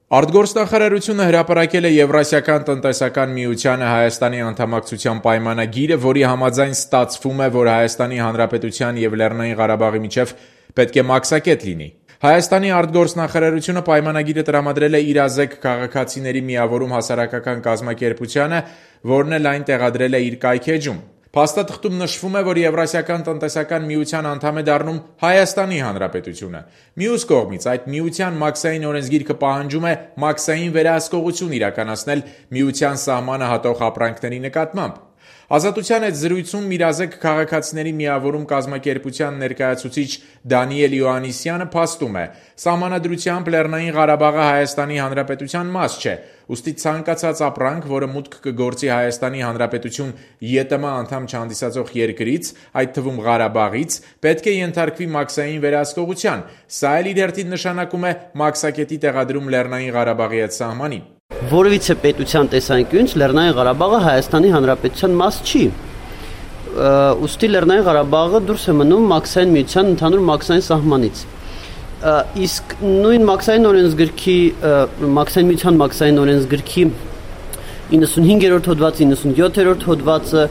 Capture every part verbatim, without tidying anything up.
Արտգործնախարարությունը հրապարակել է Եվրասիական տնտեսական միությանը Հայաստանի անդամակցության պայմանագիրը, որի համաձայն ստացվում է, որ Հայաստանի Հանրապետության և Լեռնային Ղարաբաղի միջև պետք է մաքսակետ լինի։ Հայաստանի արտգործնախարարությունը պայմանագիրը տրամադրել է իրազեկ քաղաքացիների միավորում հասարակական կազմակերպությանը, որն էլ այն տեղադրել է իր կայքէջում։ Փաստաթղթում նշվում է, որ Եվրասիական տնտեսական միության անդամ է դառնում Հայաստանի Հանրապետությունը։ Մյուս կողմից, այդ միության մաքսային օրենսգիրքը պահանջում է մաքսային վերահսկողություն իրականացնել միության սահմանը հատող ապրանքների նկատմամբ։ Ազատության հետ զրույցում իրազեկ քաղաքացիների միավորում կազմակերպության ներկայացուցիչ Դանիել Յոհաննիսյանը փաստում է. «Սահմանադրությամբ Լեռնային Ղարաբաղը Հայաստանի Հանրապետության մաս չէ, ուստի ցանկացած ապրանք, որը մուտք կգործի Հայաստանի Հանրապետություն ԵՏՄ անդամ չհանդիսացող երկրից, այդ թվում Ղարաբաղից, պետք է ենթարկվի մաքսային վերահսկողության։ Սա էլ իր հերթին նշանակում է մաքսակետի տեղադրում Լեռնային Ղարաբաղի հետ սահմանին»։ Որևիցե պետության տեսանկյունից Լեռնային Ղարաբաղը Հայաստանի Հանրապետության մաս չի։ Ուստի Լեռնային Ղարաբաղը դուրս է մնում մաքսային միության ընդհանուր մաքսային սահմանից։ Իսկ նույն մաքսային օրենսգրքի, մաքսային միության մաքսային օրենսգրքի իննսունհինգերորդ հոդվածը, իննսունյոթերորդ հոդվածը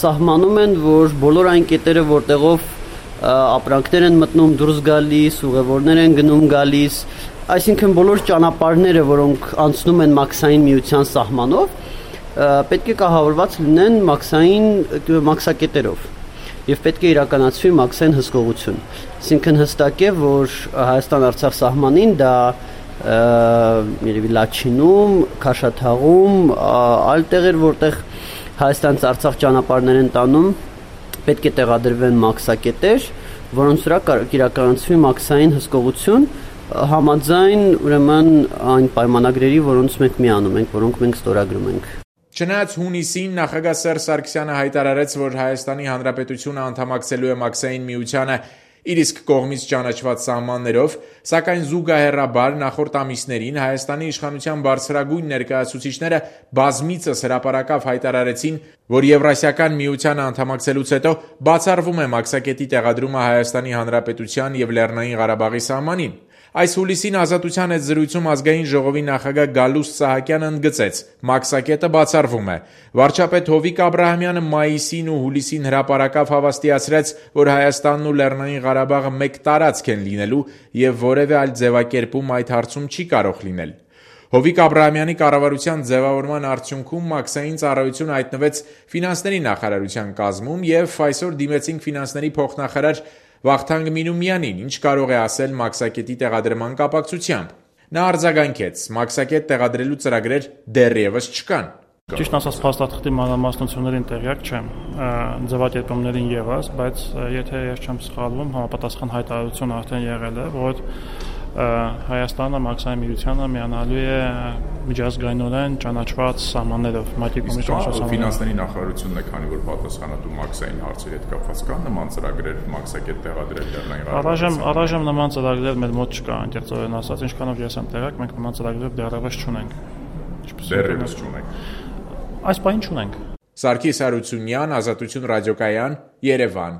սահմանում են, որ բոլոր այն կետերը, որտեղով ապրանքներ են մտնում, դուրս գալիս, ուղևորներ են գնում գալիս, այսինքն բոլոր ճանապարհները, որոնք անցնում են մաքսային միության սահմանով, պետք է կահավորված լինեն մաքսային մաքսակետերով եւ պետք է իրականացվի մաքսային հսկողություն։ Այսինքն հստակ է, որ Հայաստան-Արցախ սահմանին դա երևի Լաչինում, Քաշաթաղում, այլ տեղեր, որտեղ Հայաստանից Արցախ ճանապարհներ են տանում, պետք է տեղադրվեն մաքսակետեր, որոնց վրա կարող իրականացվի մաքսային հսկողություն համաձայն ուրեմն այն պայմանագրերի, որոնց մենք միանում ենք, որոնք մենք ստորագրում ենք։ Չնայած հունիսին նախագահ Սերժ Սարգսյանը հայտարարեց, որ Հայաստանի Հանրապետությունը անդամակցելու է մաքսային միությանը իր իսկ կողմից ճանաչված սահմաններով, սակայն զուգահեռաբար նախորդ ամիսներին Հայաստանի իշխանության բարձրագույն ներկայացուցիչները բազմիցս հրապարակավ հայտարարեցին, որ Եվրասիական միությանը անդամակցելուց հետո բացառվում է մաքսակետի տեղադրումը Հայաստանի Հանրապետության և Լեռնային Ղարաբաղի սահմանին։ Այս հուլիսին Ազատության հետ զրույցում Ազգային ժողովի նախագահ Գալուստ Սահակյանը ընդգծեց. «Մաքսակետը բացառվում է»։ Վարչապետ Հովիկ Աբրահամյանը մայիսին ու հուլիսին հրապարակավ հավաստիացրեց, որ Հայաստանն ու Լեռնային Ղարաբաղը մեկ տարածք են լինելու և որևէ այլ ձևակերպում այդ հարցում չի կարող լինել։ Հովիկ Աբրահամյանի կառավարության ձևավորման արդյունքում մաքսային ծառայություն հայտնվեց ֆինանսների նախարարության կազմում և այսօր դիմեցինք ֆինանսների փոխնախարար Վախթանգ Մինումյանին, ինչ կարող է ասել մաքսակետի տեղադրման կապակցությամբ։ Նա արձագանքեց. «Մաքսակետ տեղադրելու ծրագրեր դեռևս չկան»։ Ճիշտ ասած, փաստաթղթի մանրամասնություններին տեղյակ չեմ, ձևակերպումներին ևս, բայց եթե ես չեմ սխալվում, համապատասխան հայտարարություն արդեն եղել է, որ Հայաստանը մաքսային միությանը միանալու է միջազգայինորեն ճանաչված սահմաններով, ՄԱԿ-ի կողմից ճանաչված սահմաններով։ Ֆինանսների նախարարությունն է, քանի որ պատասխանատու մաքսային հարցերի հետ կապված կան նման ծրագրեր մաքսակետ տեղադրել Լեռնային Ղարաբաղում։ Առայժմ նման ծրագրեր մեր մոտ չկա, անկեղծորեն ասած, ինչքանով ես եմ տեղյակ, մենք նման ծրագրեր դեռևս չունենք։ Դեռևս չունենք։ Այս պահին չունենք։ Սարգիս Հարությունյան, Ազատություն ռադիոկայան, Երևան։